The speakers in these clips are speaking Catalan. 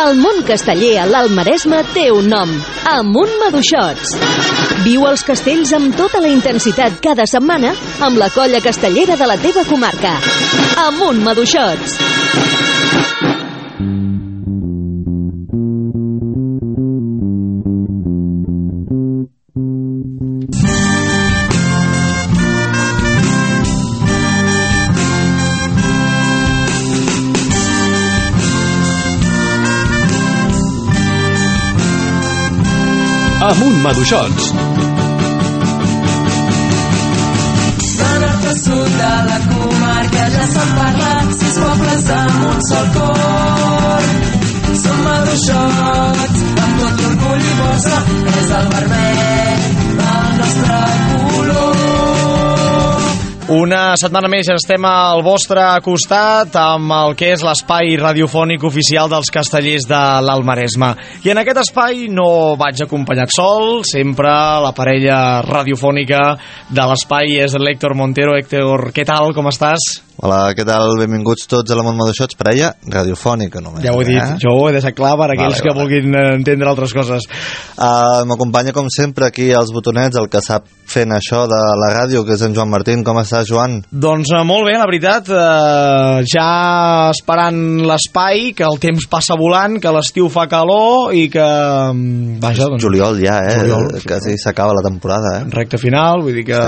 El món casteller a l'Alt Maresme té un nom: Amunt Maduixots. Viu els castells amb tota la intensitat cada setmana amb la colla castellera de la teva comarca. Amunt Maduixots. Amunt Maduixots. De nord a sud de la comarca ja s'han parlat 6 pobles amb un sol cor. Som Maduixots, amb tot l'orgull i força, és el vermell del nostre color. Una setmana més ja estem al vostre costat amb el que és l'espai radiofònic oficial dels castellers de l'Alt Maresme. I en aquest espai no vaig acompanyat sol, sempre la parella radiofònica de l'espai és l'Héctor Montero. Héctor, què tal, com estàs? Hola, què tal? Benvinguts tots a l'Amunt Maduixots, parella radiofònica només. Ja ho he dit, jo ho he deixat clar per aquells que vulguin entendre altres coses. M'acompanya com sempre aquí als botonets, el que sap fent això de la ràdio, que és en Joan Martín. Com estàs, Joan? Doncs molt bé, la veritat, ja esperant l'espai, que el temps passa volant, que l'estiu fa calor i que... Vaja, doncs... Juliol ja, Juliol, quasi s'acaba la temporada, Recte final, vull dir que...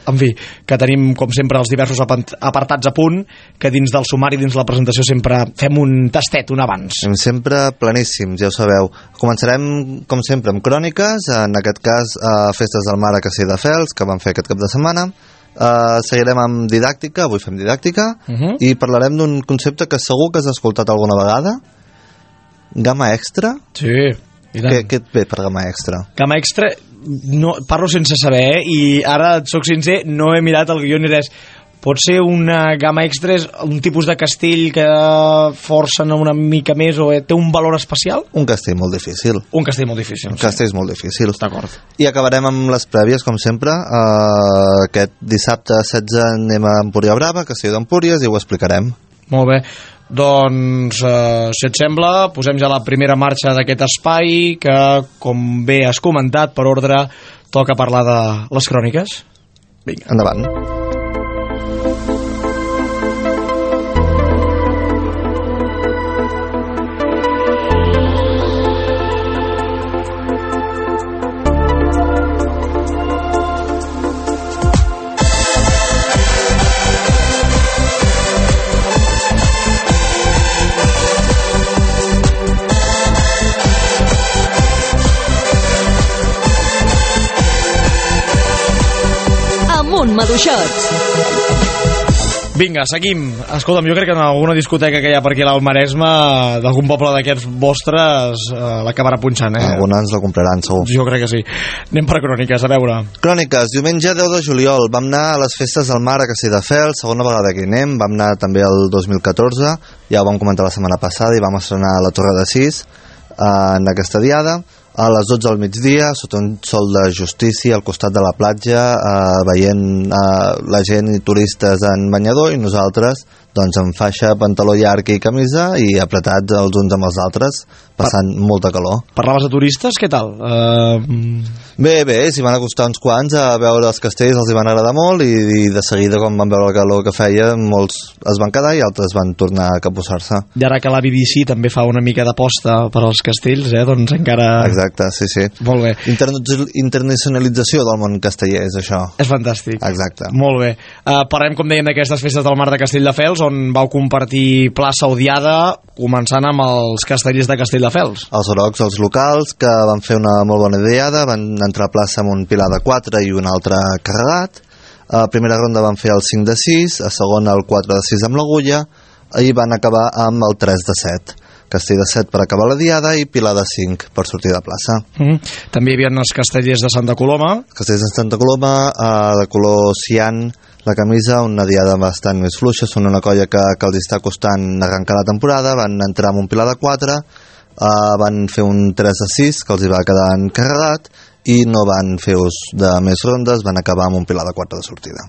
En fi, que tenim, com sempre, els diversos apartats a punt, que dins del sumari, dins la presentació, sempre fem un tastet, un abans. Sempre planíssims, ja ho sabeu. Començarem, com sempre, amb cròniques, en aquest cas, Festes del Mar a Castelldefels, que vam fer aquest cap de setmana. Seguirem amb didàctica, avui fem didàctica, i parlarem d'un concepte que segur que has escoltat alguna vegada. Gamma extra? Sí. Què et ve per gamma extra? Gamma extra, no, parlo sense saber, i ara et soc sincer, no he mirat el guió ni res. Pot ser una gamma extra, és un tipus de castell que forcen una mica més o té un valor especial? Un castell molt difícil. Un castell molt difícil. Un castell molt difícil. D'acord. I acabarem amb les prèvies, com sempre. Aquest dissabte 16 anem a Empúria Brava, Castell d'Empúries, i ho explicarem. Molt bé. Doncs, si et sembla, posem ja la primera marxa d'aquest espai que, com bé has comentat, per ordre, toca parlar de les cròniques. Vinga, endavant. Maduixots. Vinga, seguim. Escolta'm, jo crec que en alguna discoteca que hi ha per aquí a l'Alt Maresme, d'algun poble d'aquests vostres, l'acabarà punxant, Alguna ens la compraran, segur. Jo crec que sí. Anem per cròniques, a veure. Cròniques, diumenge 10 de juliol vam anar a les Festes del Mar a Castelldefels, segona vegada que hi anem. Vam anar també el 2014, ja ho vam comentar la setmana passada, i vam estrenar a la Torre de Sis en aquesta diada. A les 12 del migdia, sota un sol de justícia, al costat de la platja, veient la gent i turistes en banyador, i nosaltres doncs amb faixa, pantaló llarg i camisa, i apretats els uns amb els altres, passant molta calor. Parlaves de turistes, què tal? Bé, s'hi van acostar uns quants a veure els castells, els hi van agradar molt, i de seguida, quan van veure el calor que feia, molts es van quedar i altres van tornar a capbussar-se. I ara que la BBC també fa una mica d'aposta per als castells, doncs encara... Exacte, sí. Molt bé. Internacionalització del món casteller, és això. És fantàstic. Exacte. Molt bé. Parlem, com dèiem, d'aquestes Festes del Mar de Castelldefels, on vau compartir plaça odiada, començant amb els castellers de Castelldefels. Els grocs, els locals, que van fer una molt bona ideada, van entrar a plaça amb un pilar de 4 i un altre carregat. A primera ronda van fer el 5 de 6, a segona el 4 de 6 amb l'agulla, i van acabar amb el 3 de 7. Castell de 7 per acabar la diada i pilar de 5 per sortir de plaça. També hi havia els castellers de Santa Coloma. Castellers de Santa Coloma, de color cian, la camisa, una diada bastant més fluixa. Són una colla que els està costant arrencar la temporada. Van entrar amb un pilar de 4, van fer un 3 de 6 que els hi va quedar encarregat, i no van fer ús de més rondes, van acabar amb un pilar de 4 de sortida.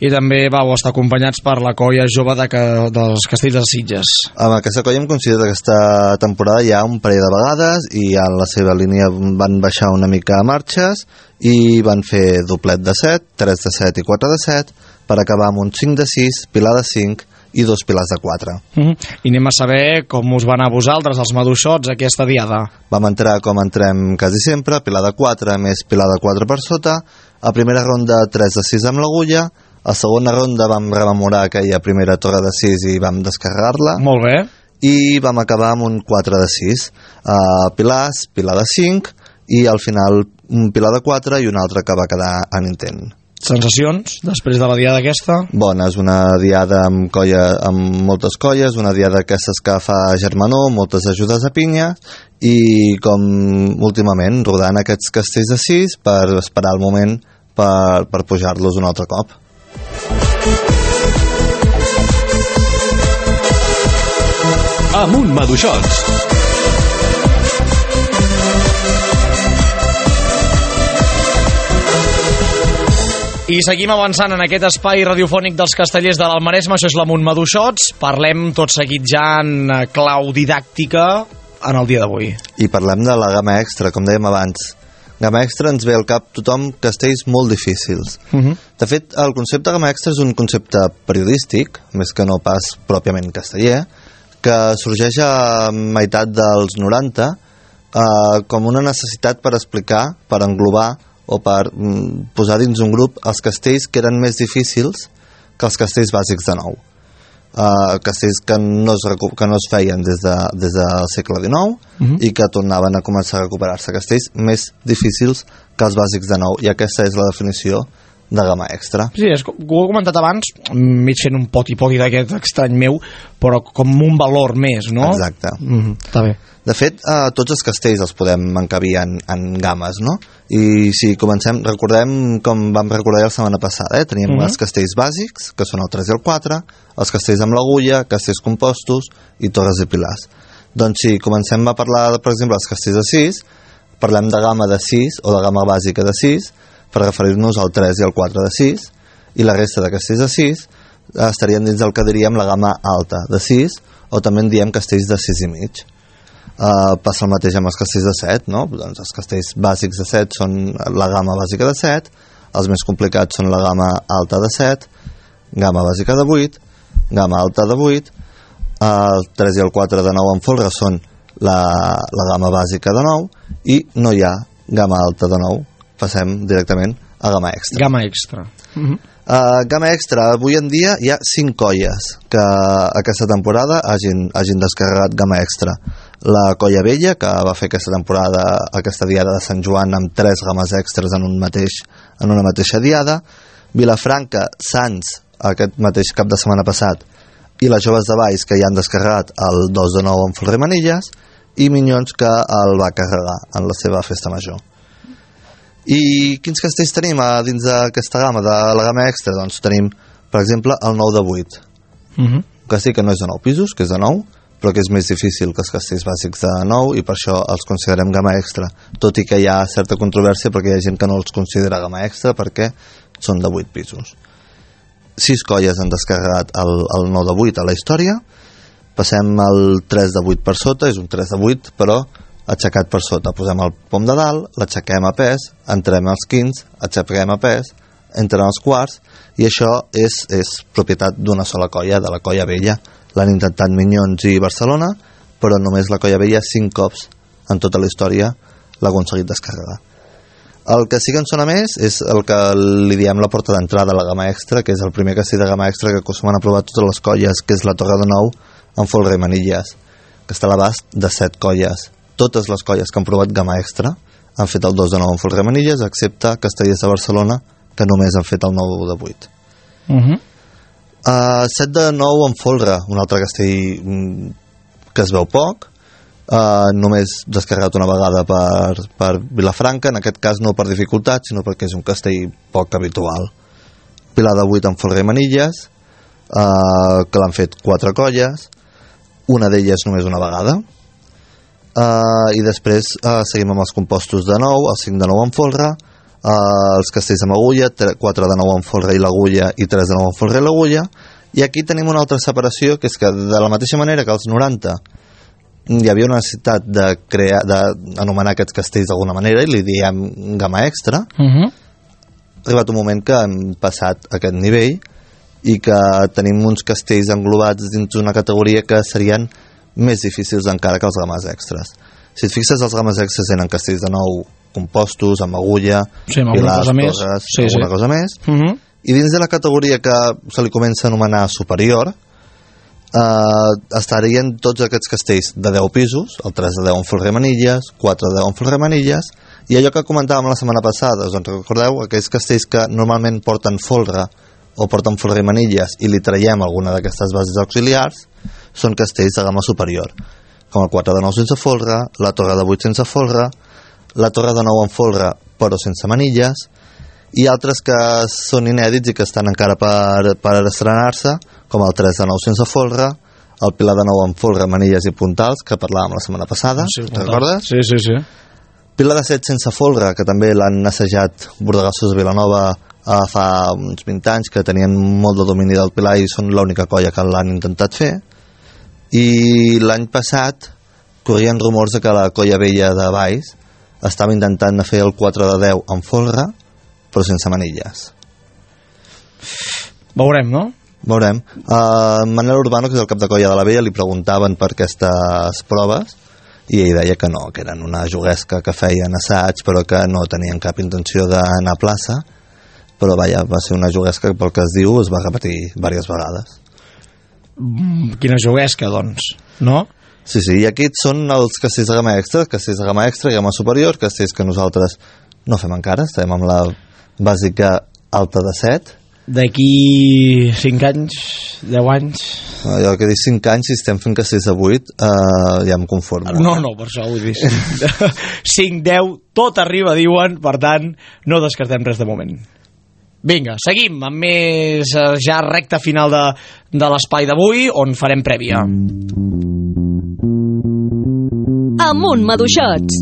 I també vau estar acompanyats per la colla jove dels Castells de Sitges. Amb aquesta colla hem coincidit aquesta temporada ja un parell de vegades i en la seva línia van baixar una mica a marxes i van fer doblet de 7, 3 de 7 i 4 de 7 per acabar amb un 5 de 6, pilar de 5 i 2 pilars de 4. I anem a saber com us va anar a vosaltres, els maduixots, aquesta diada. Vam entrar com entrem quasi sempre, pilar de 4 més pilar de 4 per sota. A primera ronda 3 de 6 amb l'agulla. A segona ronda vam rememorar aquella primera torre de 6 i vam descarregar-la. Molt bé. I vam acabar amb un 4 de 6. Pilars, pilar de 5 i al final un pilar de 4 i un altre que va quedar en intent. Sensacions després de la diada aquesta? Bona, és una diada amb moltes colles, una diada d'aquestes que fa germanor, moltes ajudes a pinya i com últimament rodant aquests castells de 6 per esperar el moment per pujar-los un altre cop. Amunt Maduixots. I seguim avançant en aquest espai radiofònic dels Castellers de l'Almaresme. Això és l'Amunt Maduixots. Parlem tot seguit ja en clau didàctica en el dia d'avui. I parlem de la gamma extra, com dèiem abans. Gamma extra ens ve al cap tothom castells molt difícils. De fet, el concepte gamma extra és un concepte periodístic, més que no pas pròpiament casteller, que sorgeix a meitat dels 90 com una necessitat per explicar, per englobar o per posar dins un grup els castells que eren més difícils que els castells bàsics de nou. Castells que no es feien des del segle XIX i que tornaven a començar a recuperar-se. Castells més difícils que els bàsics de nou, i aquesta és la definició de gamma extra. Sí, ho he comentat abans, mig fent un poti-poti d'aquest estrany meu, però com un valor més, no? Exacte. Està bé. De fet, tots els castells els podem encabir en gammes, no? I si comencem, recordem com vam recordar la setmana passada, teníem els castells bàsics, que són el 3 i el 4, els castells amb l'agulla, castells compostos i torres i pilars. Doncs si comencem a parlar, per exemple, dels castells de 6, parlem de gamma de 6 o de gamma bàsica de 6, per referir-nos al 3 i al 4 de 6, i la resta de castells de 6 estarien dins del que diríem la gamma alta de 6, o també en diem castells de 6 i mig. Passa el mateix amb els castells de 7, no? Doncs els castells bàsics de 7 són la gamma bàsica de 7, els més complicats són la gamma alta de 7, gamma bàsica de 8, gamma alta de 8, el 3 i el 4 de 9 en folre són la gamma bàsica de 9, i no hi ha gamma alta de 9. Passem directament a gamma extra. Gamma extra. Gamma extra, avui en dia hi ha 5 colles que aquesta temporada hagin descarregat gamma extra. La colla vella, que va fer aquesta temporada, aquesta diada de Sant Joan, amb 3 gammes extras en una mateixa diada. Vilafranca, Sants, aquest mateix cap de setmana passat, i les joves de Valls, que ja han descarregat el 2 de 9 en Folre Manilles, i Minyons, que el va carregar en la seva festa major. I quins castells tenim dins d'aquesta gamma, de la gamma extra? Doncs tenim, per exemple, el 9 de 8. Un castell que no és de 9 pisos, que és de 9, però que és més difícil que els castells bàsics de 9, i per això els considerem gamma extra, tot i que hi ha certa controvèrsia perquè hi ha gent que no els considera gamma extra perquè són de 8 pisos. 6 colles han descarregat el 9 de 8 a la història. Passem al 3 de 8 per sota, és un 3 de 8 però aixecat per sota. Posem el pom de dalt, l'aixequem a pes, entrem als quints, aixequem a pes, entren als quarts, i això és propietat d'una sola colla, de la colla vella. L'han intentat Minyons i Barcelona, però només la colla vella 5 cops en tota la història l'ha aconseguit descarregar. El que sí que en sona més és el que li diem la porta d'entrada a la gamma extra, que és el primer castell de gamma extra que acostumen a provar totes les colles, que és la Torre de Nou en Folre Manilles, que està a l'abast de 7 colles. Totes les colles que han provat gamma extra han fet el 2 de 9 en Folre Manilles, excepte Castellers de Barcelona, que només han fet el 9 de 8. 7 de 9 en Folre, un altre castell que es veu poc, només descarregat una vegada per Vilafranca, en aquest cas no per dificultat, sinó perquè és un castell poc habitual. Pilar de 8 en Folre Manilles, que l'han fet 4 colles, una d'elles només una vegada. i després seguim amb els compostos de nou, els 5 de nou amb folre, els castells amb agulla, 4 de nou amb folre i l'agulla i 3 de nou amb folre i l'agulla. I aquí tenim una altra separació, que és que de la mateixa manera que als 90 hi havia una necessitat d'anomenar aquests castells d'alguna manera i li diem gamma extra, ha arribat un moment que hem passat aquest nivell i que tenim uns castells englobats dins una categoria que serien més difícils encara que els games extras. Si et fixes, els games extras eren castells de nou compostos, amb agulla, pilars, torres, alguna cosa més. I dins de la categoria que se li comença a anomenar superior, estarien tots aquests castells de 10 pisos, el 3 de 10 amb folre i manilles, 4 de 10 amb folre i manilles, i allò que comentàvem la setmana passada, doncs recordeu, aquells castells que normalment porten folre o porten folre i manilles i li traiem alguna d'aquestes bases auxiliars, són castells de gamma superior, com el 4 de 9 sense folre, la torre de 8 sense folre, la torre de 9 amb folre però sense manilles, i altres que són inèdits i que estan encara per estrenar-se, com el 3 de 9 sense folre, el pilar de 9 amb folre, manilles i puntals, que parlàvem la setmana passada, recordes? Sí. Pilar de 7 sense folre, que també l'han assajat Bordegassos de Vilanova fa uns 20 anys, que tenien molt de domini del pilar i són l'única colla que l'han intentat fer. I l'any passat corrien rumors de que la colla vella de Valls estava intentant fer el 4 de 10 amb folre, però sense manilles. Veurem, no? Veurem. Manel Urbano, que és el cap de colla de la vella, li preguntaven per aquestes proves i ell deia que no, que eren una juguesca que feien assaig però que no tenien cap intenció d'anar a plaça, però vaja, va ser una juguesca que pel que es diu es va repetir diverses vegades. Quina juguesca, doncs, no? Sí, i aquests són els castells de gamma extra, castells de gamma extra i gamma superior, castells que nosaltres no fem encara, estem amb la bàsica alta de 7. D'aquí 5 anys, 10 anys... Jo que dic 5 anys, si estem fent castells de 8, ja em conformo. No, per això vull dir 5, 10, tot arriba, diuen, per tant, no descartem res de moment. Vinga, seguim amb més ja recta final de l'espai d'avui, on farem prèvia. Amunt, maduixots!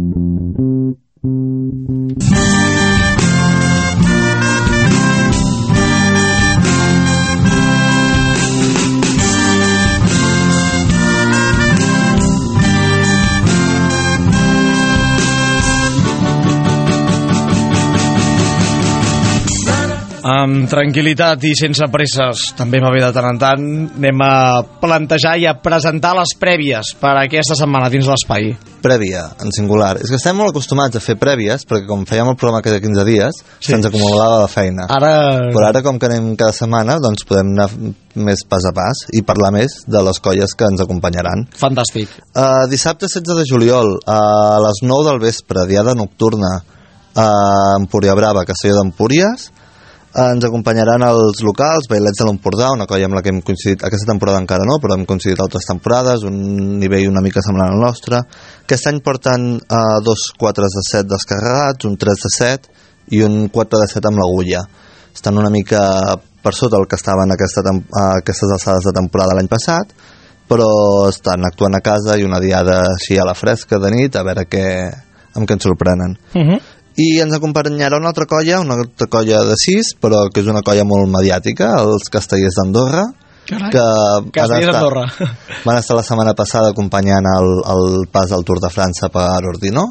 Amb tranquil·litat i sense presses, també va bé de tant en tant, anem a plantejar i a presentar les prèvies per a aquesta setmana dins l'espai. Prèvia, en singular. És que estem molt acostumats a fer prèvies, perquè com fèiem el programa cada 15 dies, se'ns acumulava la feina. Però ara, com que anem cada setmana, doncs podem anar més pas a pas i parlar més de les colles que ens acompanyaran. Fantàstic. Dissabte 16 de juliol, a les 9 del vespre, diada nocturna, a Empúria Brava, Castelló d'Empúries. Ens acompanyaran els locals, Bailets de l'Empordà, una colla amb la que hem coincidit aquesta temporada encara no, però hem coincidit altres temporades, un nivell una mica semblant al nostre. Aquest any porten 2 4 de 7 descarregats, un 3 de 7 i un 4 de 7 amb l'agulla. Estan una mica per sota el que estaven aquestes alçades de temporada l'any passat, però estan actuant a casa i una diada així a la fresca de nit, a veure amb què ens sorprenen. I ens acompanyarà una altra colla de 6, però que és una colla molt mediàtica, els Castellers d'Andorra, Castellers d'Andorra van estar la setmana passada acompanyant el pas del Tour de França per Ordino.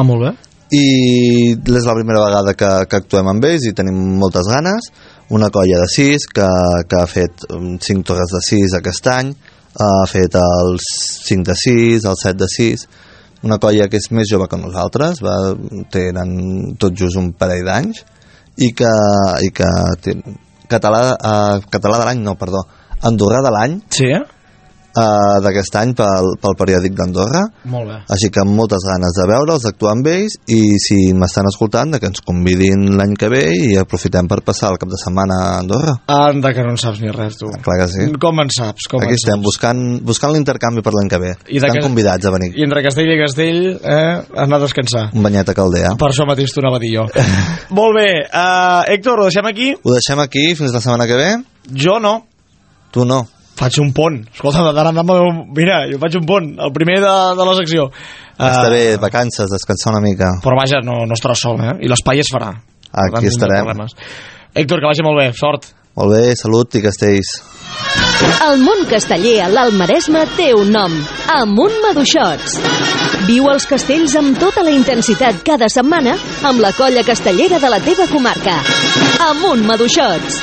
Molt bé. I és la primera vegada que actuem amb ells i tenim moltes ganes. Una colla de 6 que ha fet 5 torres de 6 aquest any, ha fet els 5 de 6, el 7 de 6, una colla que és més jove que nosaltres, tenen tot just un parell d'anys i que català de l'any, no, perdó, andorrà de l'any, sí, d'aquest any pel periòdic d'Andorra. Molt bé. Així que amb moltes ganes de veure'ls, d'actuar amb ells, i si m'estan escoltant, que ens convidin l'any que ve i aprofitem per passar el cap de setmana a Andorra. Anda, que no en saps ni res, tu. Clar que sí. Com en saps? Aquí estem, buscant l'intercanvi per l'any que ve. Estan convidats a venir. I entre Castell i Castell, anar a descansar. Un banyet a Caldea. Per això mateix t'ho anava a dir jo. Molt bé. Héctor, ho deixem aquí? Ho deixem aquí fins la setmana que ve? Jo no. Tu no? Faig un pont. Escolta, mira, jo faig un pont, el primer de la secció. Està bé, vacances, descansar una mica. Però vaja, no estaràs sol, I l'espai es farà. Aquí estarem. Héctor, que vagi molt bé, sort. Molt bé, salut i castells. El món casteller a l'Alt Maresme té un nom, Amunt Maduixots. Viu els castells amb tota la intensitat cada setmana amb la colla castellera de la teva comarca. Amunt Maduixots.